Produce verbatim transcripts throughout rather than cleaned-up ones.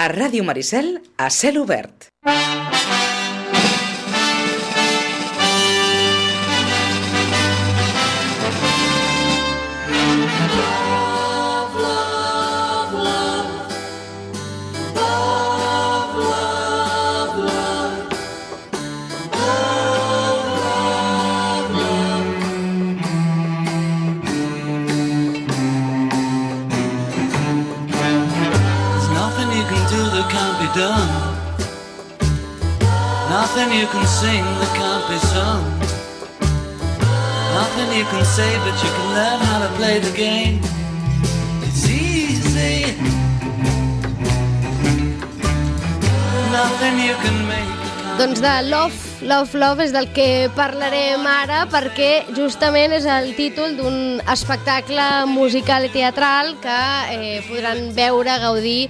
A Ràdio Maricel, a cel obert. Done. Nothing you can sing that can't be sung. Nothing you can say, but you can learn how to play the game. It's easy. Nothing you can make. Doncs de Love, Love, Love és del que parlarem ara, perquè justament és el títol d'un espectacle musical i teatral que eh, podran veure, gaudir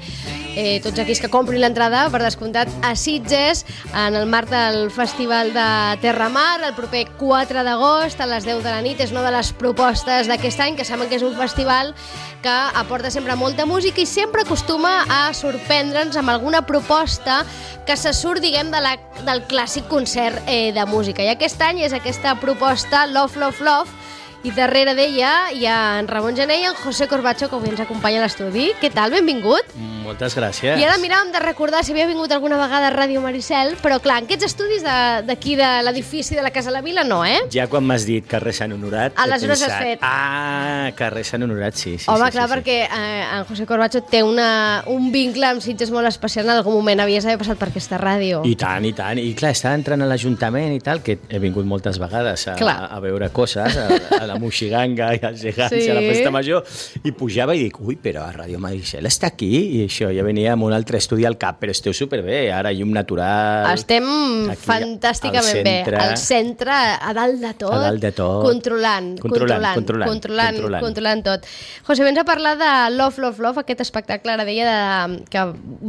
Eh, tots aquells que comprin l'entrada, per descomptat, a Sitges, en el marc del Festival de Terramar, el proper quatre d'agost, a les deu de la nit. És una de les propostes d'aquest any, que saben que és un festival que aporta sempre molta música i sempre acostuma a sorprendre'ns amb alguna proposta que se surt, diguem, de la, del clàssic concert eh, de música. I aquest any és aquesta proposta Love, Love, Love, i darrere d'ella hi ha en Ramon Gené i en José Corbacho, que avui ens acompanya a l'estudi. Què tal? Benvingut. Moltes gràcies. I ara miràvem de recordar si havia vingut alguna vegada a Ràdio Maricel, però clar, en aquests estudis d'aquí de, de l'edifici de la Casa la Vila no, eh? Ja quan m'has dit carrer Sant Honorat... Aleshores has fet. Ah, carrer Sant Honorat, sí. sí Home, sí, clar, sí, perquè eh, en José Corbacho té una, un vincle amb Sitges molt especial. En algun moment havies d'haver passat per aquesta ràdio. I tant, i tant. I clar, estava entrant a l'Ajuntament i tal, que he vingut moltes vegades a, a, a veure coses, a, a la Moixiganga i als gegants, sí. A la festa major, i pujava i dic, ui, però a Ràdio Maricel està aquí, i això, ja venia amb un altre estudi al cap, però esteu superbé, ara llum natural... Estem fantàsticament bé, al centre, a dalt de tot, a dalt de tot. Controlant, controlant, controlant, controlant, controlant, controlant, controlant tot. José, vens a parlar de Love, Love, Love, aquest espectacle, ara deia, de, que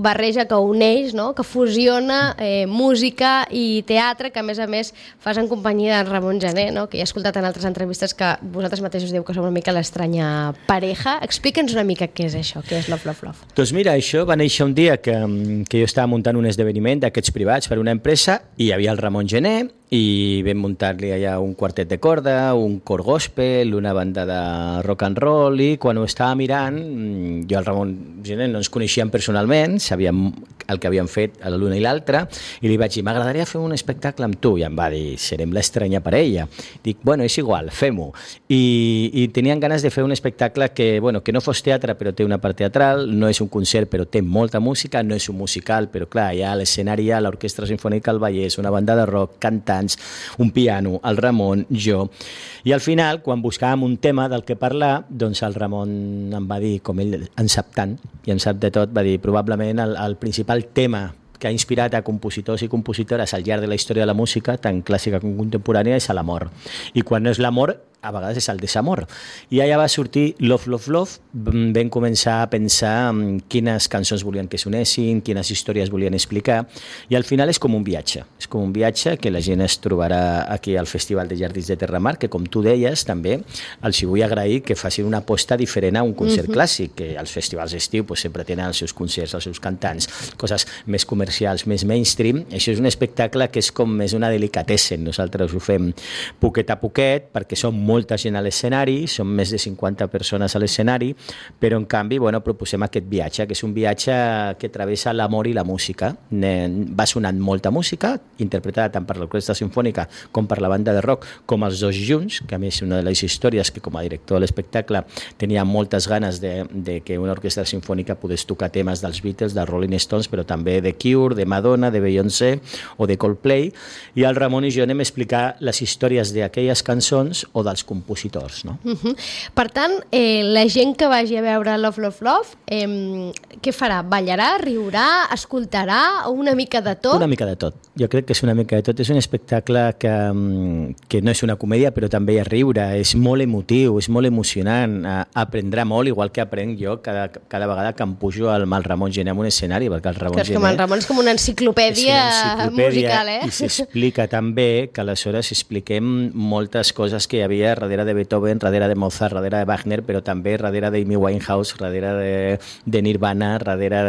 barreja, que uneix, no? Que fusiona eh, música i teatre, que a més a més fas en companyia d'en Ramon Gené, no? Que ja he escoltat en altres entrevistes que vosaltres mateixos diu que som una mica l'estranya pareja. Explica'ns una mica què és això, què és Love, Love, Love. Doncs mira, això va néixer un dia que, que jo estava muntant un esdeveniment d'aquests privats per una empresa i hi havia el Ramon Gené i vam muntar-li allà un quartet de corda, un cor gospel, una banda de rock and roll, i quan ho estava mirant, jo i el Ramon Gené no ens coneixíem personalment, sabíem el que havíem fet a l'una i l'altra, i li vaig dir, m'agradaria fer un espectacle amb tu, i em va dir, serem l'estranya parella. Dic, bueno, és igual, fem-ho. I, i tenien ganes de fer un espectacle que, bueno, que no fos teatre, però té una part teatral, no és un concert, però té molta música, no és un musical, però clar, hi ha l'escenari, hi ha l'Orquestra Simfònica del Vallès, una banda de rock, cantant, un piano, el Ramon, jo. I al final, quan buscàvem un tema del que parlar, doncs el Ramon em va dir, com ell en sap tant, i en sap de tot, va dir, probablement el, el principal tema que ha inspirat a compositors i compositores al llarg de la història de la música, tant clàssica com contemporània, és l'amor. I quan no és l'amor, a vegades és el desamor. I allà va sortir Love, Love, Love. Vam començar a pensar quines cançons volien que sonessin, quines històries volien explicar, i al final és com un viatge. És com un viatge que la gent es trobarà aquí al Festival de Jardins de Terramar, que com tu deies també, els vull agrair que facin una aposta diferent a un concert uh-huh. clàssic, que als festivals d'estiu pues, sempre tenen els seus concerts, els seus cantants, coses més comercials, més mainstream. Això és un espectacle que és com més una delicatessen. Nosaltres ho fem poquet a poquet, perquè som molta gent a l'escenari, són més de cinquanta persones a l'escenari, però en canvi bueno, proposem aquest viatge, que és un viatge que travessa l'amor i la música. Va sonant molta música, interpretada tant per l'Orquestra Simfònica com per la banda de rock, com els dos junts, que a més és una de les històries que com a director de l'espectacle tenia moltes ganes de, de que una orquestra simfònica pogués tocar temes dels Beatles, dels Rolling Stones, però també de Cure, de Madonna, de Beyoncé o de Coldplay, i el Ramon i jo anem a explicar les històries d'aquelles cançons o dels compositors, no? Uh-huh. Per tant, eh, la gent que vagi a veure Love, Love, Love, eh, què farà? Ballarà, riurà, escoltarà, o una mica de tot? Una mica de tot. Jo crec que és una mica de tot. És un espectacle que, que no és una comèdia, però també hi ha riure, és molt emotiu, és molt emocionant, aprendrà molt, igual que aprenc jo cada, cada vegada que em pujo al mal Ramon Gené en un escenari, perquè el Ramon Gené... Que el Ramon és com una enciclopèdia, una enciclopèdia musical, eh? I s'explica també que aleshores expliquem moltes coses que hi havia Schubert, darrere de Beethoven, darrere de Mozart, darrere de Wagner, però també darrere d'Amy Winehouse, darrere de, de Nirvana, darrere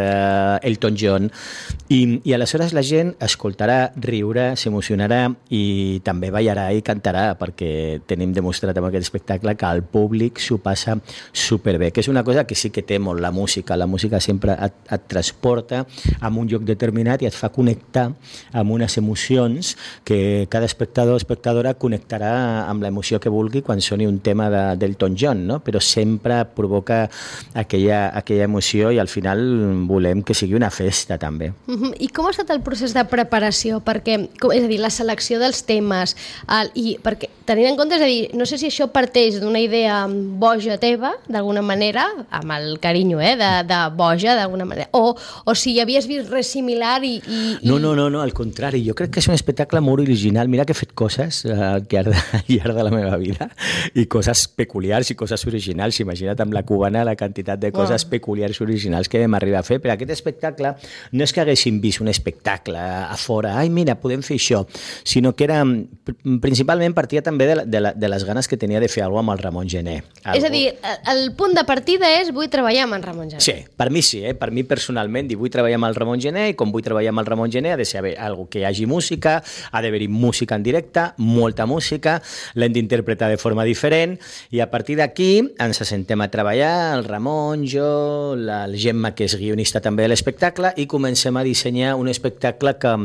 d'Elton John. I, I aleshores la gent escoltarà, riurà, s'emocionarà i també ballarà i cantarà, perquè tenim demostrat amb aquest espectacle que el públic s'ho passa superbé, que és una cosa que sí que té molt la música. La música sempre et, et transporta a un lloc determinat i et fa connectar amb unes emocions que cada espectador o espectadora connectarà amb l'emoció que vulgui quan soni un tema de, d'Elton John, no? Però sempre provoca aquella, aquella emoció i al final volem que sigui una festa també. Uh-huh. I com ha estat el procés de preparació? Perquè, com, és a dir, la selecció dels temes, el, i perquè tenint en compte, és a dir, no sé si això parteix d'una idea boja teva, d'alguna manera, amb el carinyo, eh, de, de boja, d'alguna manera, o, o si havies vist res similar i, i, i... No, no, no, no, al contrari, jo crec que és un espectacle molt original. Mira que he fet coses eh, al, llarg de, al llarg de la meva vida i coses peculiars i coses originals. Imagina't amb la cubana la quantitat de coses wow. peculiars i originals que vam arribar a fer, però aquest espectacle no és que haguéssim vist un espectacle a fora, ai mira, podem fer això, sinó que era, principalment partia també de, la, de, la, de les ganes que tenia de fer alguna cosa amb el Ramon Gené. Algo... És a dir, el punt de partida és vull treballar amb en Ramon Gené. Sí, per mi sí, eh? Per mi personalment, dic, vull treballar amb el Ramon Gené i com vull treballar amb el Ramon Gené ha de ser algo que hi hagi música, ha d'haver-hi música en directe, molta música, l'hem d'interpretar de forma diferent i a partir d'aquí ens assentem a treballar, el Ramon, jo, la Gemma, que és guionista també de l'espectacle, i comencem a dissenyar un espectacle que,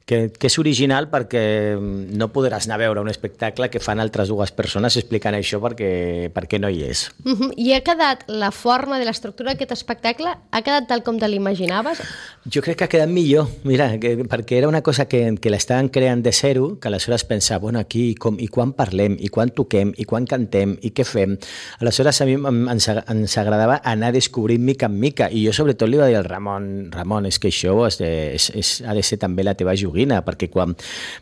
que, que és original perquè no podràs anar a veure un espectacle que fan altres dues persones explicant això perquè, perquè no hi és. Uh-huh. I ha quedat la forma de l'estructura d'aquest espectacle, ha quedat tal com te l'imaginaves? Jo crec que ha quedat millor, mira, que, perquè era una cosa que, que l'estaven creant de zero, que aleshores pensava, bueno, aquí, com, i quan parlem, i quan toquem, i quan cantem, i què fem? Aleshores a mi ens, ens agradava anar descobrint mica en mica, i jo sobretot li va dir al Ramon, Ramon, és que això és de, és, és, ha de ser també la teva joguina, perquè quan,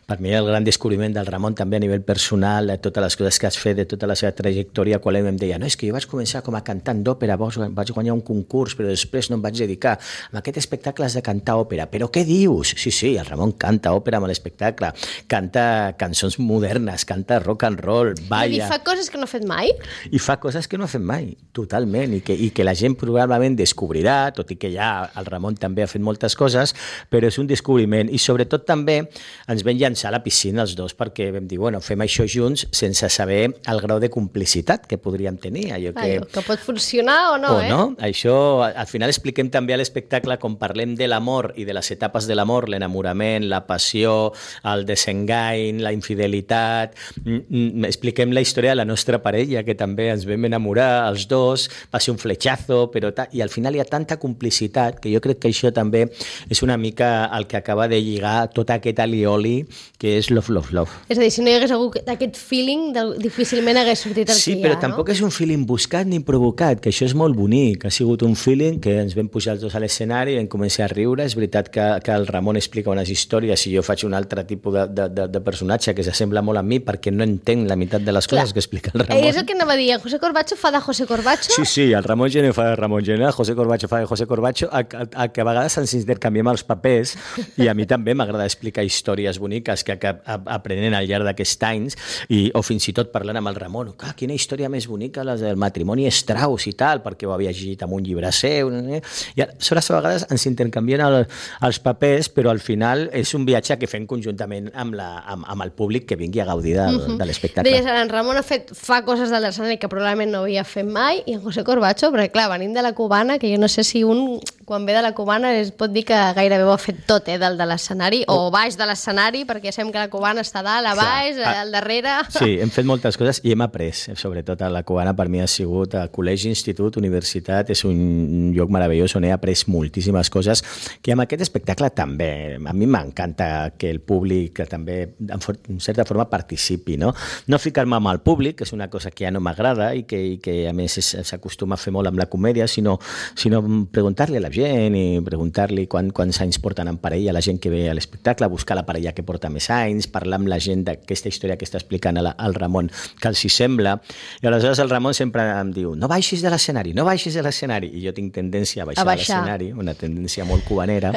per mi el gran descobriment del Ramon també a nivell personal, de totes les coses que has fet, de tota la seva trajectòria, quan ell em deia, no, és que jo vaig començar com a cantant d'òpera, vaig guanyar un concurs, però després no em vaig dedicar. Amb aquest espectacle has de cantar òpera. Però què dius? Sí, sí, el Ramon canta òpera amb l'espectacle, canta cançons modernes, canta rock and roll, balla... I fa coses que no ha fet mai? I fa coses que no ha fet mai, totalment, i que, i que la gent probablement descobrirà, tot i que ja el Ramon també ha fet moltes coses, però és un descobriment. I sobretot també ens vam llançar a la piscina els dos perquè vam dir, bueno, fem això junts sense saber el grau de complicitat que podríem tenir. Allò que... Allò, que pot funcionar o no, o eh? no. Això, al final expliquem també a l'espectacle, com parlem de l'amor i de les etapes de l'amor, l'enamorament, la passió, el desengany, la infidelitat, expliquem la història de la nostra parella, que també ens vam enamorar els dos, va ser un fletxazo, però ta... i al final hi ha tanta complicitat que jo crec que això també és una mica el que acaba de lligar tot aquest alioli que és Love, Love, Love. És a dir, si no hi hagués hagut aquest feeling, difícilment hagués sortit el sí, que hi ha, però no? tampoc és un feeling buscat ni provocat, que això és molt bonic. Ha sigut un feeling que ens vam pujar els dos a l'escenari i vam començar a riure. És veritat que, que el Ramon explica unes històries i jo faig un altre tipus de, de, de, de personatge que s'assembla molt a mi perquè no entenc la meitat de les Clar. coses que explica el Ramon. És el que anava a dir, José Corbacho fa de José Corbacho? Sí, sí, el Ramon Gené fa de Ramon Gené, el José Corbacho fa de José Corbacho, a, a, a que a vegades ens intercanviem els papers i a mi també m'agrada explicar històries boniques que, que aprenent al llarg d'aquests anys i, o fins i tot parlant amb el Ramon, ah, quina història més bonica la del matrimoni Strauss i tal, perquè ho havia llegit en un llibre seu, eh? I aleshores a vegades ens intercanvien el, els papers, però al final és un viatge que fem conjuntament amb, la, amb, amb el públic que vingui a gaudir de, uh-huh. de l'espectacle. Deies, en Ramon ha fet, fa coses de l'escenari que probablement no havia fet mai, i en José Corbacho, perquè clar, venim de la cubana, que jo no sé si un, quan ve de la cubana, es pot dir que gairebé ho ha fet tot, eh, del de l'escenari, o baix de l'escenari, perquè sabem que la cubana està dalt, a baix, clar. Al darrere... Sí, hem fet moltes coses i hem après, sobretot a la cubana per mi ha sigut a col·legi, institut, universitat, és un lloc meravellós on he après moltíssimes coses que amb aquest espectacle també, a mi m'encanta que el públic també en certa forma participi, no? No ficar-me amb el públic, que és una cosa que ja no m'agrada i que, i que a més s'acostuma a fer molt amb la comèdia, sinó, sinó preguntar-li a la gent i preguntar-li quan, quants anys porten en parella la gent que ve a l'espectacle, buscar la parella que porta més anys, parlar amb la gent d'aquesta història que estàs explicant al, al Ramon que els hi sembla, i aleshores el Ramon sempre em diu, no baixis de l'escenari, no baixis de l'escenari, i jo tinc tendència a baixar, a baixar. de l'escenari, una tendència molt cubanera,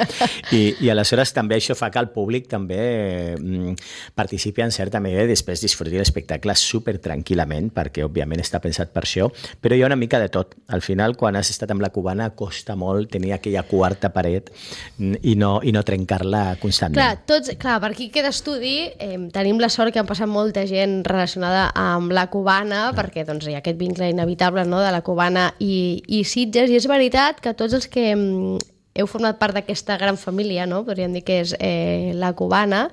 i, i aleshores també això fa que el públic també mm, participi en certa manera i després disfruti l'espectacle super tranquil·lament, perquè òbviament està pensat per això, però hi ha una mica de tot. Al final, quan has estat amb la cubana, costa molt tenir aquella quarta paret i no, i no trencar-la constantment. Clar, tots, clar, per aquí queda estudi, eh, tenim la sort que han passat molta gent relacionada amb la cubana, ah. perquè doncs, hi ha aquest vincle inevitable, no?, de la cubana i, i Sitges, i és veritat que tots els que mm, heu format part d'aquesta gran família, no?, podríem dir que és eh, la cubana,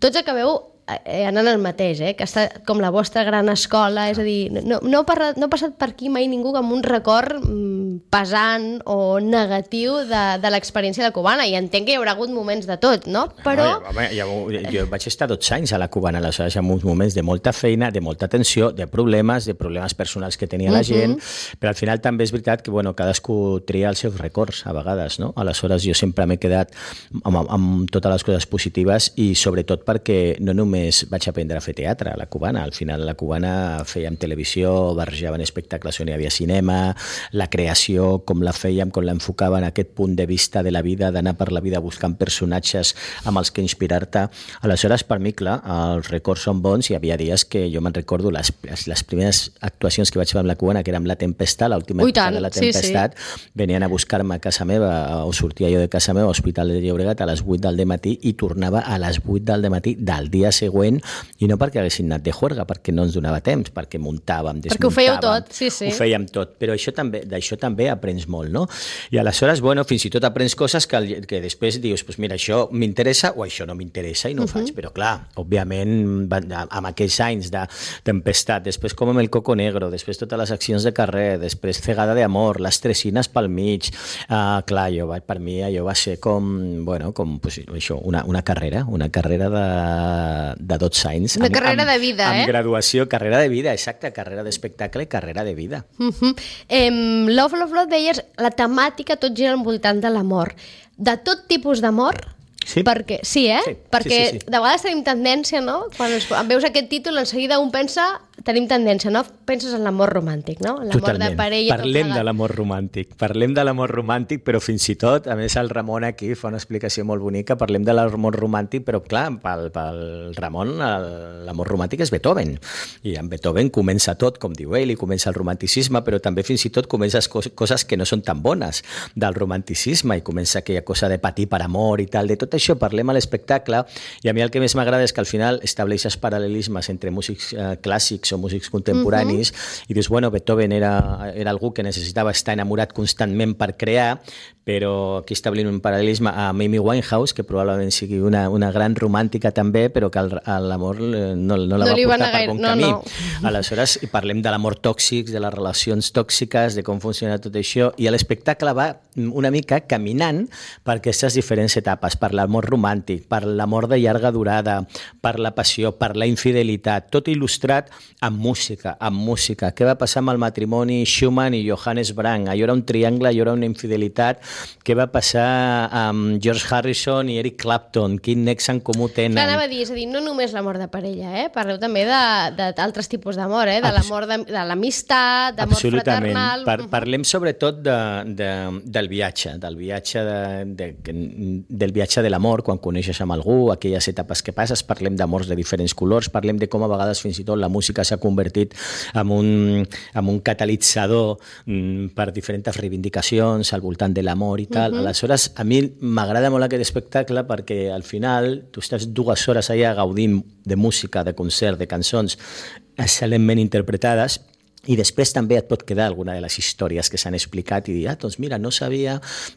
tots acabeu eh, anant al mateix, eh? Que està com la vostra gran escola, és a dir, no, no, ha no ha passat per aquí mai ningú amb un record mm, pesant o negatiu de, de l'experiència de la cubana, i entenc que hi haurà hagut moments de tot, no? Però... No, home, ja, jo vaig estar dotze anys a la cubana, aleshores hi ha uns moments de molta feina, de molta tensió, de problemes, de problemes personals que tenia la gent, uh-huh. però al final també és veritat que bueno, cadascú tria els seus records a vegades, no? Aleshores jo sempre m'he quedat amb, amb totes les coses positives i sobretot perquè no només vaig aprendre a fer teatre a la cubana, al final a la cubana fèiem televisió, barrejaven espectacles on hi havia cinema, la creació, com la fèiem, com l'enfocaven, aquest punt de vista de la vida, d'anar per la vida buscant personatges amb els que inspirar-te. Aleshores, per mi, clar, els records són bons, i havia dies que jo me'n recordo les, les primeres actuacions que vaig fer amb la cubana, que era amb La Tempesta, l'última època de La Tempestat, sí, sí. venien a buscar-me a casa meva, o sortia jo de casa meva, a Hospital de Llobregat, a les vuit del dematí, i tornava a les vuit del dematí del dia següent, i no perquè haguessin anat de juerga, perquè no ens donava temps, perquè muntàvem, desmuntàvem. Perquè ho fèieu tot, sí, sí. Ho fèiem tot, però això també, d'això també aprens molt, no? I aleshores, bueno, fins i tot aprens coses que, que després dius, pues mira, això m'interessa o això no m'interessa i no ho uh-huh. faig, però clar, òbviament, amb aquells anys de Tempestat, després com amb El Coco Negro, després totes les accions de carrer, després Cegada de Amor, les Tresines pel mig, uh, clar, jo, per mi allò va ser com, bueno, com, pues, això, una, una carrera, una carrera de, de dotze anys. Una amb, carrera amb, de vida, amb eh? Amb graduació, carrera de vida, exacte, carrera d'espectacle i carrera de vida. Uh-huh. eh, Love, Love, Love, deies, la temàtica tot gira al voltant de l'amor. De tot tipus d'amor? Sí. Perquè, sí, eh? Sí, Perquè sí, sí, sí. de vegades tenim tendència, no? Quan ens, veus aquest títol, en seguida un pensa... Tenim tendència, no? Penses en l'amor romàntic, no? L'amor de parella. Parlem de l'amor romàntic. Parlem de l'amor romàntic, però fins i tot, a més el Ramon aquí fa una explicació molt bonica, parlem de l'amor romàntic, però clar, pel, pel Ramon l'amor romàntic és Beethoven. I en Beethoven comença tot, com diu ell, i comença el romanticisme, però també fins i tot comença coses que no són tan bones del romanticisme, i comença aquella cosa de patir per amor i tal. De tot això parlem a l'espectacle, i a mi el que més m'agrada és que al final estableixes paral·lelismes entre músics eh, clàssics o músics contemporanis, uh-huh. i dius, bueno, Beethoven era, era algú que necessitava estar enamorat constantment per crear, però aquí establint un paral·lelisme a Amy Winehouse, que probablement sigui una, una gran romàntica també, però que el, l'amor no, no la no va portar per bon no, camí. No. Aleshores, parlem de l'amor tòxic, de les relacions tòxiques, de com funciona tot això, i l'espectacle va una mica caminant per aquestes diferents etapes, per l'amor romàntic, per l'amor de llarga durada, per la passió, per la infidelitat, tot il·lustrat amb música, amb música. Què va passar amb el matrimoni Schumann i Johannes Brahms? Allò era un triangle, allò era una infidelitat. Què va passar amb George Harrison i Eric Clapton? Quin nexe en comú tenen? Clar, anava a dir, és a dir, no només l'amor de parella, eh? Parleu també d'altres tipus d'amor, eh? De l'amor de, de l'amistat, d'amor fraternal... Par parlem sobretot de, de, del viatge, del viatge de, de, del viatge de l'amor, quan coneixes amb algú, aquelles etapes que passes, parlem d'amors de diferents colors, parlem de com a vegades fins i tot la música s'ha convertit en un, en un catalitzador mm, per diferents reivindicacions al voltant de l'amor i tal. Uh-huh. Aleshores, a mi m'agrada molt aquest espectacle perquè al final tu estàs dues hores allà gaudint de música, de concert, de cançons excel·lentment interpretades, i després també et pot quedar alguna de les històries que s'han explicat i dir, ah, doncs mira, no sabia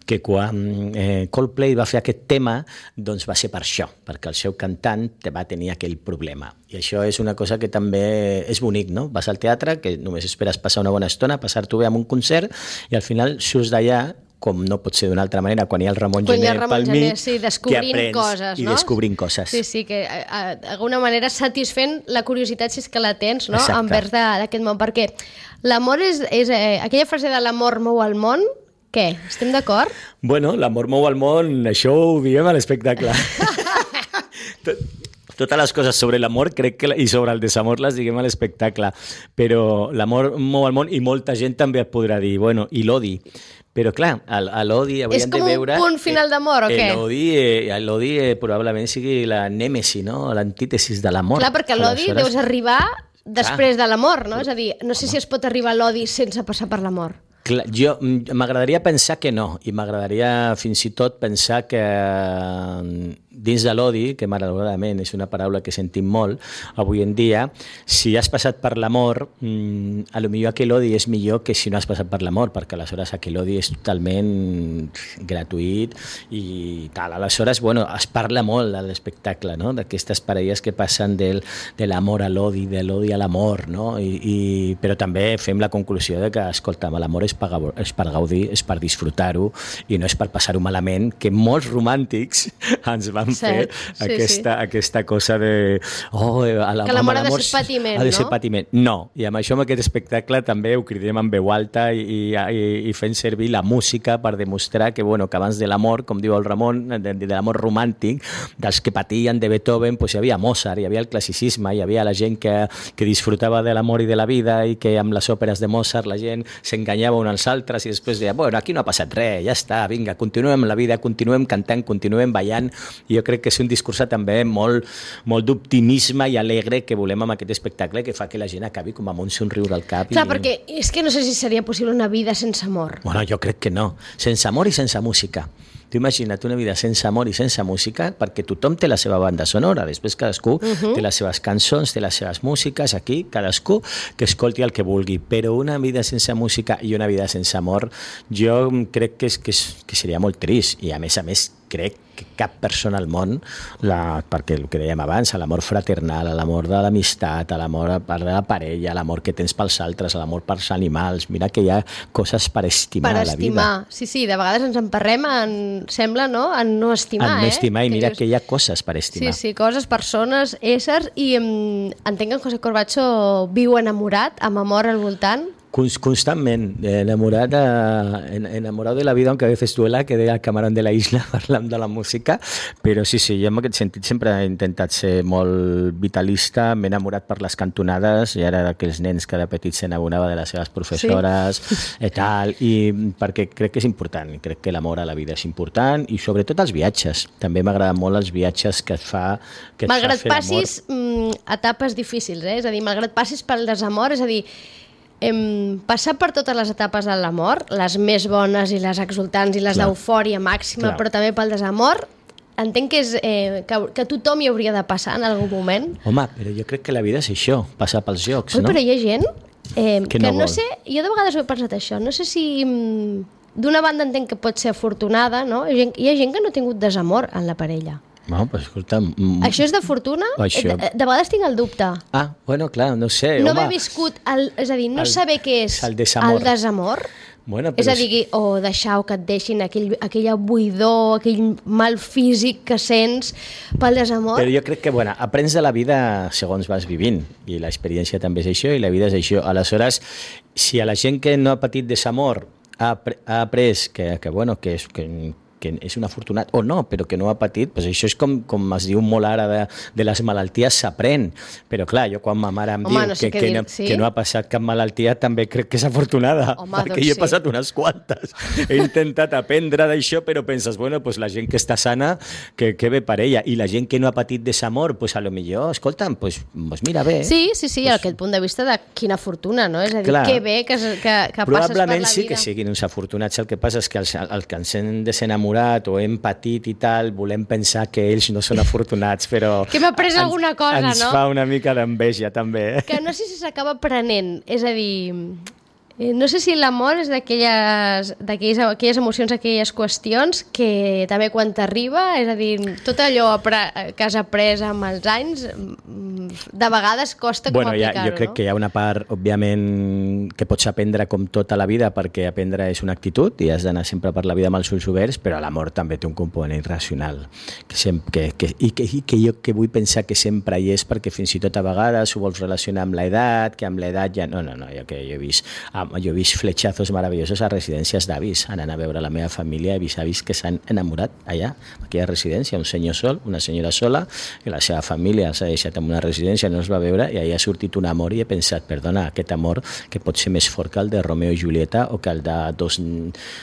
que quan eh, Coldplay va fer aquest tema, doncs va ser per això, perquè el seu cantant va tenir aquell problema. I això és una cosa que també és bonic, no? Vas al teatre, que només esperes passar una bona estona, passar-t'ho bé amb un concert, i al final surts d'allà, com no pot ser d'una altra manera, quan hi ha el Ramon Gené pel mig, sí, descobrint que aprens coses, no? I descobrint coses. Sí, sí, que d'alguna manera satisfent la curiositat, si és que la tens, no? Envers d'aquest món, perquè l'amor és, és eh, aquella frase de l'amor mou el món, què? Estem d'acord? Bueno, l'amor mou el món, això ho diem a l'espectacle. totes les coses sobre l'amor crec que i sobre el desamor les diguem a l'espectacle, però l'amor mou el món i molta gent també et podrà dir, bueno, i l'odi. Però clar, a l'odi hauríem de veure... És com un punt final d'amor, o què? L'odi eh, l'odi eh, probablement sigui la nèmesi, no? L'antítesis de l'amor. Clar, perquè l'odi deus arribar després de l'amor, no? És a dir, no sé si es pot arribar a l'odi sense passar per l'amor. Clar, jo m'agradaria pensar que no, i m'agradaria fins i tot pensar que dins de l'odi, que malauradament és una paraula que sentim molt avui en dia, si has passat per l'amor, mmm, a lo millor aquell odi és millor que si no has passat per l'amor, perquè aleshores aquell odi és totalment gratuït i tal. Aleshores, bueno, es parla molt a l'espectacle, no?, d'aquestes parelles que passen del, de l'amor a l'odi, de l'odi a l'amor, no? I, i, però també fem la conclusió de que, escolta, l'amor és per, és per gaudir, és per disfrutar-ho i no és per passar-ho malament, que molts romàntics ens van fer sí, aquesta, sí. aquesta cosa de... Oh, la, que l'amor ha de ser patiment, ha de ser no? patiment. No, i amb això, amb aquest espectacle, també ho cridem en veu alta i, i, i fent servir la música per demostrar que, bueno, que abans de l'amor, com diu el Ramon, de, de l'amor romàntic, dels que patien de Beethoven, pues hi havia Mozart, hi havia el classicisme, hi havia la gent que, que disfrutava de l'amor i de la vida i que amb les òperes de Mozart la gent s'enganyava uns als altres i després deia, bueno, aquí no ha passat res, ja està, vinga, continuem la vida, continuem cantant, continuem ballant. I jo crec que és un discurs també molt, molt d'optimisme i alegre que volem amb aquest espectacle, que fa que la gent acabi com amb un somriure al cap. Clar, i... perquè és que no sé si seria possible una vida sense amor. Bueno, jo crec que no. Sense amor i sense música. Tu imagina't una vida sense amor i sense música, perquè tothom té la seva banda sonora, després cadascú uh-huh. té les seves cançons, té les seves músiques, aquí cadascú que escolti el que vulgui, però una vida sense música i una vida sense amor jo crec que, és, que, és, que seria molt trist, i a més a més crec que cap persona al món, la, perquè el que dèiem abans, l'amor fraternal, l'amor de l'amistat, l'amor per la parella, l'amor que tens pels altres, l'amor pels animals, mira que hi ha coses per estimar per a la vida. estimar, sí, sí, de vegades ens emparrem en, sembla, no?, en no estimar, en no eh? estimar, i mira dius... que hi ha coses per estimar. Sí, sí, coses, persones, éssers, i um, entenc que en José Corbacho viu enamorat, amb amor al voltant. Constantment, enamorat, enamorado de la vida, aunque a veces duela, que deia el Camarón de la Isla parlant de la música, però sí, sí, jo en aquest sentit sempre he intentat ser molt vitalista, m'he enamorat per les cantonades, i ara aquells nens que de petits s'enamorava de les seves professores, sí. i tal, i perquè crec que és important, crec que l'amor a la vida és important, i sobretot els viatges, també m'agraden molt els viatges que et fa, que et malgrat fa fer passis mm, etapes difícils, eh? És a dir, malgrat passis pel desamor, és a dir, Hem passat per totes les etapes de l'amor, les més bones i les exultants i les d'eufòria màxima, clar. Però també pel desamor. Entenc que, és, eh, que, que tothom hi hauria de passar en algun moment. Home, però jo crec que la vida és això, passar pels jocs, Oi, no? Però hi ha gent eh, que, que no, no vol. sé, jo de vegades ho he pensat això, no sé si d'una banda entenc que pot ser afortunada, no? Hi ha gent, hi ha gent que no ha tingut desamor en la parella. No, però escolta... Mm, això és de fortuna? Això... De, de vegades tinc el dubte. Ah, bueno, clar, no sé. No home, haver viscut, el, és a dir, no el, saber què és el desamor. El desamor. Bueno, és a dir, o deixar o que et deixin aquell, aquella buidor, aquell mal físic que sents pel desamor. Però jo crec que, bueno, aprens de la vida segons vas vivint, i l'experiència també és això, i la vida és això. Aleshores, si a la gent que no ha patit desamor ha, ha après que, que, bueno, que és... Que, que és un afortunat, o no, però que no ha patit, doncs això és com, com es diu molt ara de, de les malalties, s'aprèn. Però clar, jo quan ma mare em Home, diu no sé que, que, que, no, sí? que no ha passat cap malaltia, també crec que és afortunada, Home, perquè doncs jo he sí. passat unes quantes. He intentat aprendre d'això, però penses, bueno, pues la gent que està sana, que, que bé per ella, i la gent que no ha patit desamor, pues a lo millor, escolta'm, pues, pues mira bé. Sí, sí, sí, pues, aquest punt de vista de quina fortuna, no? És a dir, clar, que bé que, que, que passes per la vida. Probablement sí que siguin uns afortunats, el que passa és que els, el que ens hem desenamorat o hem patit i tal, volem pensar que ells no són afortunats, però... Que hem après ens, alguna cosa, ens no? Ens fa una mica d'enveja, també. Que no sé si s'acaba aprenent, és a dir... No sé si l'amor és d'aquelles aquelles emocions, aquelles qüestions que també quan t'arriba, és a dir, tot allò que has après amb els anys de vegades costa bueno, com aplicar-ho, jo crec no? que hi ha una part, òbviament, que pots aprendre com tota la vida, perquè aprendre és una actitud i has d'anar sempre per la vida amb els ulls oberts, però l'amor també té un component racional. Que sempre, que, que, i, que, I que jo que vull pensar que sempre hi és, perquè fins i tot a vegades ho vols relacionar amb l'edat, que amb l'edat ja... No, no, no, jo, que jo he vist, jo he vist fletxazos meravellosos a residències d'avis, anant a veure la meva família, he vist avis que s'han enamorat allà, a aquella residència, un senyor sol, una senyora sola, que la seva família s'ha deixat en una residència, no es va veure, i allà ha sortit un amor i he pensat, perdona, aquest amor que pot ser més fort que el de Romeo i Julieta o que el de dos,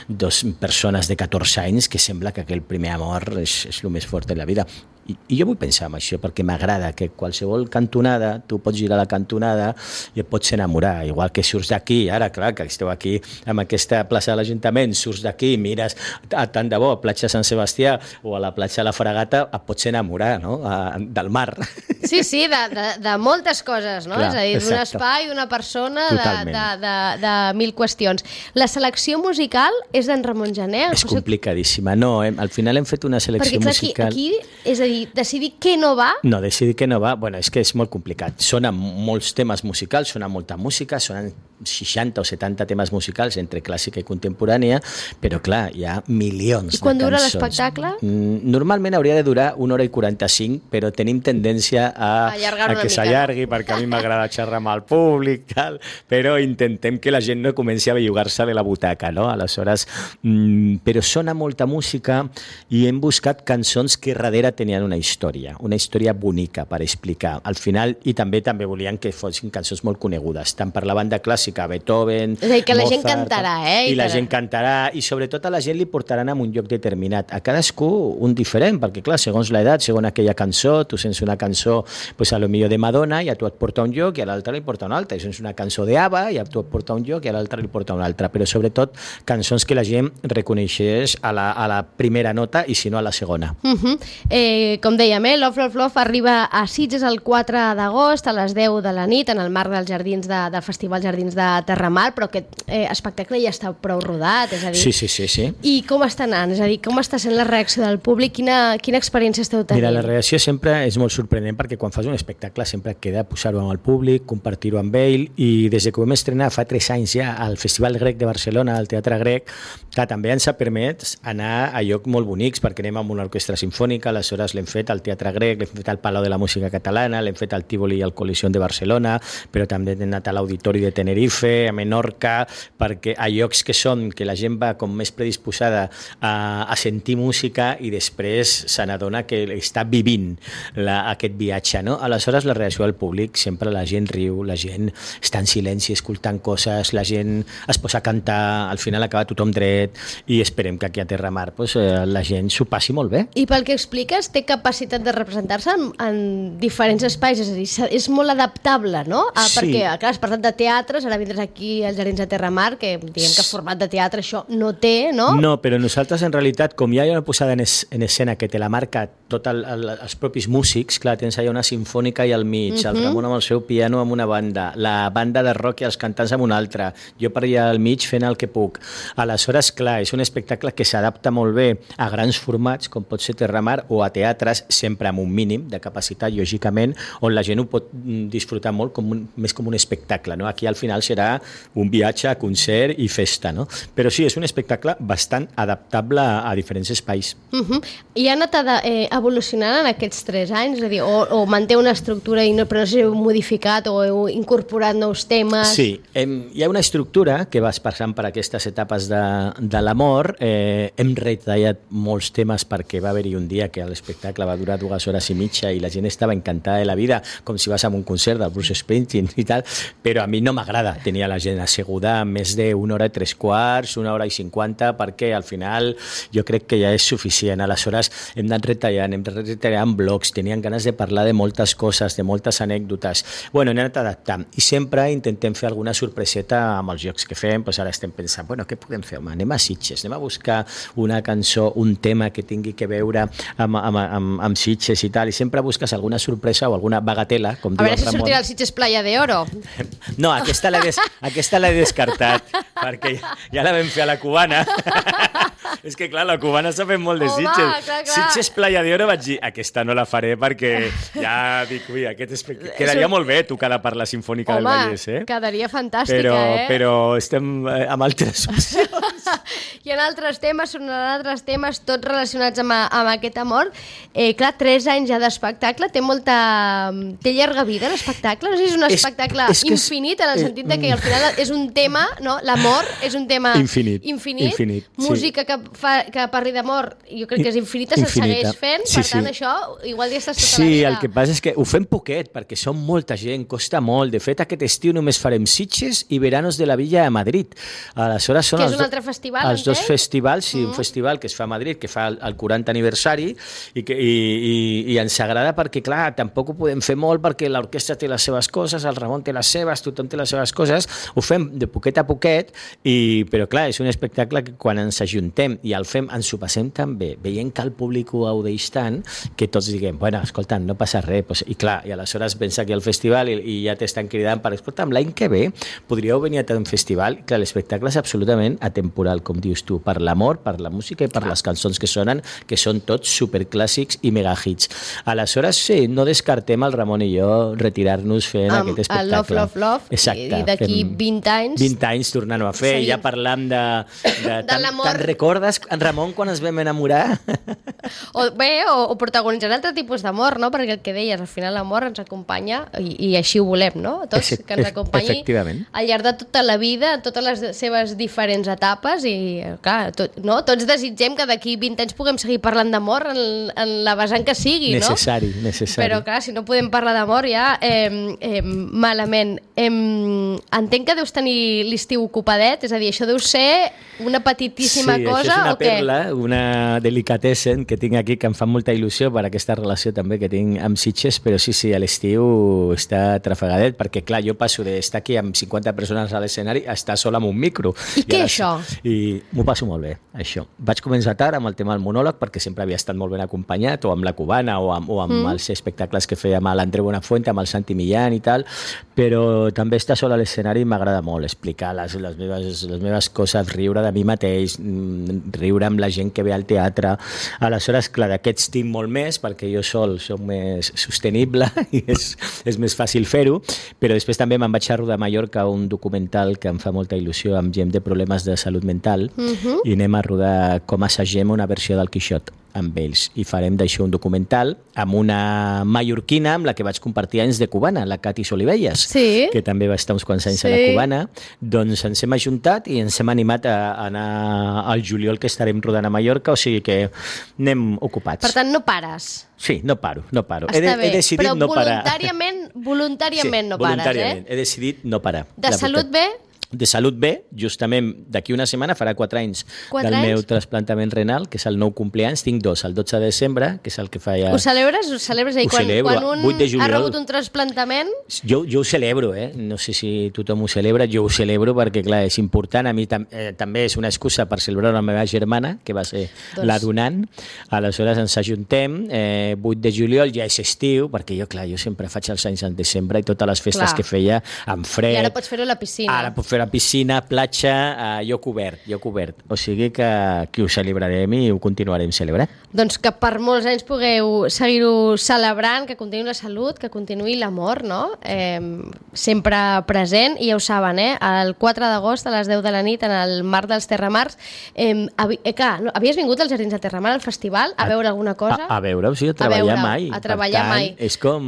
dos persones de catorze anys, que sembla que aquell primer amor és, és el més fort de la vida. I, i jo vull pensar en això perquè m'agrada que qualsevol cantonada, tu pots girar la cantonada i et pots enamorar, igual que surts d'aquí, ara clar que esteu aquí amb aquesta plaça de l'Ajuntament, surts d'aquí, mires a, tant de bo a platja Sant Sebastià o a la platja de la Fragata, et pots enamorar, no? A, del mar. Sí, sí, de, de, de moltes coses, no? Clar, és a dir, d'un exacte. espai, una persona, de, Totalment. de, de, de mil qüestions. La selecció musical és d'en Ramon Gené? És complicadíssima. No, hem, al final hem fet una selecció perquè, clar, musical... Aquí, aquí, és a dir, decidir què no va... No, decidir què no va, bueno, és que és molt complicat. Sona molts temes musicals, sona molta música, sonen seixanta o setanta temes musicals entre clàssica i contemporània, però clar, hi ha milions de cançons. I quan dura l'espectacle? Normalment hauria de durar una hora i quaranta-cinc, però tenim tendència a, a a que s'allargui, perquè a mi m'agrada xerrar amb el públic, tal, però intentem que la gent no comenci a bellugar-se de la butaca, no? Aleshores, mmm, però sona molta música i hem buscat cançons que darrere tenien una història, una història bonica per explicar. Al final, i també també volien que fossin cançons molt conegudes, tant per la banda clàssica, Beethoven, és a dir, que la Mozart, gent cantarà, eh? I, I la per... gent cantarà, i sobretot a la gent li portaran a un lloc determinat. A cadascú un diferent, perquè clar, segons l'edat, segons aquella cançó, tu sents una cançó, pues, a lo millor de Madonna, i a tu et porta un lloc, i a l'altre li porta un altre, i sents una cançó d'Ava, i a tu et porta un lloc, i a l'altre li porta un altre, però sobretot cançons que la gent reconeixés a la, a la primera nota, i si no a la segona. Uh -huh. eh, com dèiem, eh, Love, Love, Love arriba a Sitges el quatre d'agost a les deu de la nit en el marc dels jardins de, del Festival Jardins de Terramar, però aquest eh, espectacle ja està prou rodat, és a dir... Sí, sí, sí, sí. I com està anant? És a dir, com està sent la reacció del públic? Quina, quina experiència esteu tenint? Mira, la reacció sempre és molt sorprenent perquè quan fas un espectacle sempre queda posar-ho amb el públic, compartir-ho amb ell, i des que ho vam estrenar fa tres anys ja al Festival Grec de Barcelona, al Teatre Grec, que també ens ha permès anar a llocs molt bonics perquè anem amb una orquestra sinfònica, aleshores l'hem fet al Teatre Grec, l'hem fet al Palau de la Música Catalana, l'hem fet al Tívoli i al Coliseum de Barcelona, però també hem anat a l'Auditori de Tenerife, a Menorca, perquè a llocs que són que la gent va com més predisposada a, a sentir música i després se n'adona que està vivint la, aquest viatge, no? Aleshores la reacció del públic, sempre la gent riu, la gent està en silenci escoltant coses, la gent es posa a cantar, al final acaba tothom dret, i esperem que aquí a Terramar pues, eh, la gent s'ho passi molt bé. I pel que expliques, té capacitat de representar-se en, en diferents espais, és a dir, és molt adaptable, no? Ah, Sí. Perquè, clar, has parlat de teatres, ara vindràs aquí als Jardins de Terramar, que diguem que format de teatre això no té, no? No, però nosaltres en realitat, com ja hi ha una posada en, es, en escena que te la marca tots el, el, els propis músics, clar, tens allà una sinfònica i al mig, uh -huh. el Ramon amb el seu piano amb una banda, la banda de rock i els cantants amb una altra, jo per allà al mig fent el que puc. Aleshores, clar, és un espectacle que s'adapta molt bé a grans formats, com pot ser Terramar, o a teatres, sempre amb un mínim de capacitat, lògicament, on la gent ho pot disfrutar molt com un, més com un espectacle, no? Aquí al final serà un viatge, concert i festa, no? Però sí, és un espectacle bastant adaptable a, a diferents espais. Uh -huh. I ha anat a, eh, evolucionant en aquests tres anys? És a dir, o, o manté una estructura i no, però no sé si heu modificat o heu incorporat nous temes? Sí, hem, hi ha una estructura que vas passant per aquestes etapes de, de l'amor. Eh, hem retallat molts temes perquè va haver-hi un dia que l'espectacle va durar dues hores i mitja i la gent estava encantada de la vida, com si vas a un concert del Bruce Springsteen i tal, però a mi no m'agrada tenir a la gent asseguda més d'una hora i tres quarts, una hora i cinquanta, perquè al final jo crec que ja és suficient. Aleshores hem anat retallant, hem anat retallant blocs, tenien ganes de parlar de moltes coses, de moltes anècdotes. Bueno, hem anat adaptant i sempre intentem fer alguna sorpreseta amb els jocs que fem. Pues ara estem pensant, bueno, què podem fer? Home, anem a Sitges, anem a buscar una cançó, un tema que tingui que veure amb, amb, amb, amb Sitges i tal, i sempre busques alguna sorpresa o alguna bagatela, com A diu veure el si Ramon. sortirà el Sitges Playa de Oro. No, aquesta l'he des, aquesta l'he descartat, perquè ja, ja la vam fer a la cubana És que, clar, la cubana s'ha fet molt de Home, Sitges. clar, clar. Sitges Playa de Oro vaig dir, aquesta no la faré perquè ja dic, ui, aquest espe... quedaria molt bé tocada per la Sinfònica Home, del Vallès, eh? quedaria fantàstica, Però, eh? però estem eh, amb altres opcions. Hi ha altres temes, sonaran altres temes, tots relacionats amb, amb aquest amor. Eh, clar, tres anys ja d'espectacle, té molta... té llarga vida l'espectacle? No sé si és un És- espectacle és que és- infinit, en el eh, sentit de que al final és un tema, no? L'amor és un tema Infinit. infinit. Infinit, sí. Música que, fa, que parli d'amor, jo crec que és infinita, se'l Infinita. segueix fent, Sí, per tant sí. això igual ja estàs tota Sí, la vida. el que passa és que ho fem poquet, perquè som molta gent, costa molt. De fet, aquest estiu només farem Sitges i Veranos de la Villa a Madrid. Aleshores, són Que és els un do- altre festival, Els dos entenc? festivals, sí, un festival que es fa a Madrid, que fa el, el quaranta aniversari, i, que, i, i, i ens agrada perquè, clar, tampoc ho podem fer molt perquè l'orquestra té les seves coses, el Ramon té les seves, tothom té les seves coses, ho fem de poquet a poquet, i, però, clar, és un espectacle que quan ens ajuntem i el fem, ens ho passem tan bé, veient que el públic ho gaudeix tant, que tots diguem, bueno, escolta, no passa res, pues, i clar, i aleshores vens aquí al festival i, i ja t'estan cridant per, escolta'm, l'any que ve podríeu venir a un festival. Clar, l'espectacle és absolutament atemporal, com dius tu, per l'amor, per la música i per les cançons que sonen, que són tots superclàssics i megahits. Aleshores, sí, no descartem el Ramon i jo retirar-nos fent Amb aquest el espectacle. Love, Love, Love, Exacte, i d'aquí fem vint anys... vint anys tornant-ho a fer, Seguim. ja parlam de... de, De te'n- l'amor. Te'n recordes, en Ramon, quan ens vam enamorar? O, bé, o, o protagonitzar altre tipus d'amor, no? Perquè el que deies, al final l'amor ens acompanya i, i així ho volem, no? Tots, Efe- que ens ef- acompanyi efectivament. al llarg de tota la vida, en totes les seves diferents etapes i, clar, tot, no? Tots desitgem que d'aquí vint anys puguem seguir parlant d'amor en, en la vessant que sigui, no? Necessari, necessari. Però, clar, si no podem parlar d'amor ja eh, eh, malament. Eh, entenc que deus tenir l'estiu ocupadet, és a dir, això deu ser una petitíssima sí, cosa això és una o què? perla, una delicatessen que tinc aquí que em fa molta il·lusió per aquesta relació també que tinc amb Sitges, però sí, sí, a l'estiu està trafegadet, perquè clar, jo passo d'estar aquí amb cinquanta persones a l'escenari a estar sol amb un micro. I què ara- és això? I m'ho passo molt bé, això. Vaig començar tard amb el tema del monòleg perquè sempre havia estat molt ben acompanyat, o amb la cubana, o amb, o amb mm. els espectacles que feia amb l'André Buenafuente, amb el Santi Millán i tal, però també estar sol a l'escenari m'agrada molt, explicar les, les, meves, les meves coses, riure de mi mateix, mm, riure amb la gent que ve al teatre. Aleshores, clar, d'aquests tinc molt més, perquè jo sol soc més sostenible i és, és més fàcil fer-ho, però després també me'n vaig a rodar a Mallorca un documental que em fa molta il·lusió amb gent de problemes de salut mental Mhm. i anem a rodar com assagem una versió del Quixot amb ells i farem d'això un documental amb una mallorquina amb la que vaig compartir anys de cubana, la Cati Solivelles, Sí. que també va estar uns quants anys Sí. a la cubana. Doncs ens hem ajuntat i ens hem animat a anar al juliol, que estarem rodant a Mallorca, o sigui que anem ocupats. Per tant, no pares. Sí, no paro, no paro. Està he, de, bé, he decidit però no parar. voluntàriament, voluntàriament sí, no pares, voluntàriament. eh? He decidit no parar. De la salut veritat. bé? De salut bé, justament d'aquí una setmana farà quatre anys Quatre del anys? meu trasplantament renal, que és el nou compleanys. Tinc dos, el dotze de desembre, que és el que fa ja... Ho celebres? Ho celebres? És a dir, Ho quan, celebro, quan un vuit de ha juliol. rebut un trasplantament... Jo, jo ho celebro, eh? No sé si tothom ho celebra, jo ho celebro perquè, clar, és important. A mi tam eh, també és una excusa per celebrar la meva germana, que va ser Doncs- la donant. Aleshores ens ajuntem, eh, vuit de juliol ja és estiu, perquè jo, clar, jo sempre faig els anys en desembre i totes les festes Clar. que feia amb fred. I ara pots fer-ho a la piscina. Ara puc fer a piscina, platja, eh, jo cobert, jo cobert. O sigui que, que ho celebrarem i ho continuarem celebrant. Doncs que per molts anys pugueu seguir-ho celebrant, que continuï la salut, que continuï l'amor, no? Eh, sempre present, i ja ho saben, eh? El quatre d'agost a les deu de la nit en el Mar dels Terramars. Eh, havi, eh, clar, no, havies vingut als Jardins de Terramar al festival a, a veure alguna cosa? A, a veure, o sigui, a treballar veure, mai. a treballar per tant, mai. És com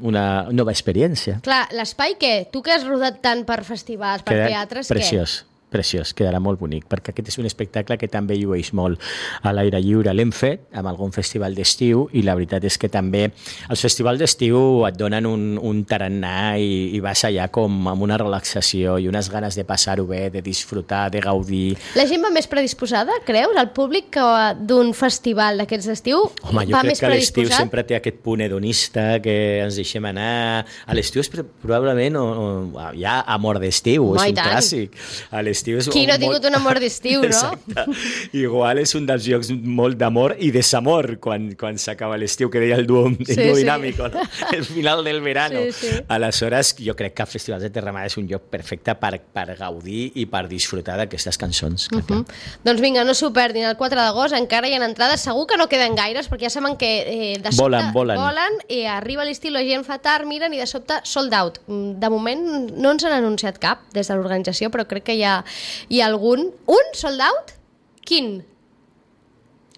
una nova experiència. Clar, l'espai què? Tu que has rodat tant per festivals, per Queda teatres, preciós. Preciós, quedarà molt bonic, perquè aquest és un espectacle que també llueix molt a l'aire lliure. L'hem fet amb algun festival d'estiu i la veritat és que també els festivals d'estiu et donen un, un tarannà i, i vas allà com amb una relaxació i unes ganes de passar-ho bé, de disfrutar, de gaudir. La gent va més predisposada, creus? El públic que d'un festival d'aquests d'estiu Home, jo va crec més que a l'estiu predisposat? sempre té aquest punt hedonista que ens deixem anar. A l'estiu és probablement o, o, hi ha amor d'estiu, Home, és i un tant. clàssic. A l'estiu d'estiu és... Qui no ha tingut molt... un amor d'estiu, no? Exacte. Igual és un dels jocs molt d'amor i desamor quan, quan s'acaba l'estiu, que deia el duo, el Sí, duo sí. dinàmico, no? El final del verano. Sí, sí. Aleshores, jo crec que el Festival de Terramar és un lloc perfecte per, per gaudir i per disfrutar d'aquestes cançons. Uh -huh. Doncs vinga, no s'ho perdin, el quatre d'agost encara hi ha entrades, segur que no queden gaires, perquè ja saben que eh, de sobte Volen, volen. volen i arriba l'estiu, la gent fa tard, miren i de sobte sold out. De moment no ens han anunciat cap des de l'organització, però crec que hi ha, hi ha algun. Un sold out? Quin?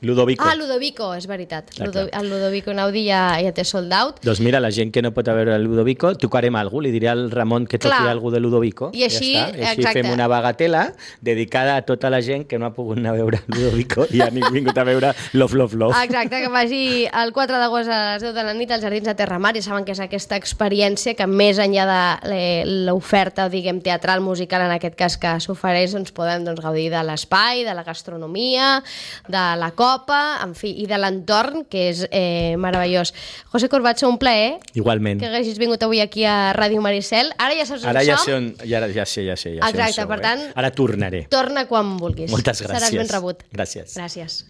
Ludovico. Ah, Ludovico, és veritat. Clar, Ludo, clar. el Ludovico Naudi ja, ja té sold out. Doncs mira, la gent que no pot a veure el Ludovico, tocarem alguna cosa, li diré al Ramon que toqui Clar. alguna de Ludovico. I així, ja està. I així exacte. fem una bagatela dedicada a tota la gent que no ha pogut anar a veure el Ludovico i ha vingut a veure Love, Love, Love. Exacte, que vagi el quatre d'agost a les deu de la nit als Jardins de Terramar, i saben que és aquesta experiència que més enllà de l'oferta, diguem, teatral, musical, en aquest cas que s'ofereix, doncs podem doncs, gaudir de l'espai, de la gastronomia, de la copa, en fi, i de l'entorn, que és eh, meravellós. José Corbacho, un plaer Igualment. que haguessis vingut avui aquí a Ràdio Maricel. Ara ja saps on Ara ja som. sé, on, ja, ja sé, ja sé. Ja sé on Exacte, sou, per eh? tant, Ara tornaré. torna quan vulguis. Moltes gràcies. Seràs ben rebut. Gràcies. Gràcies.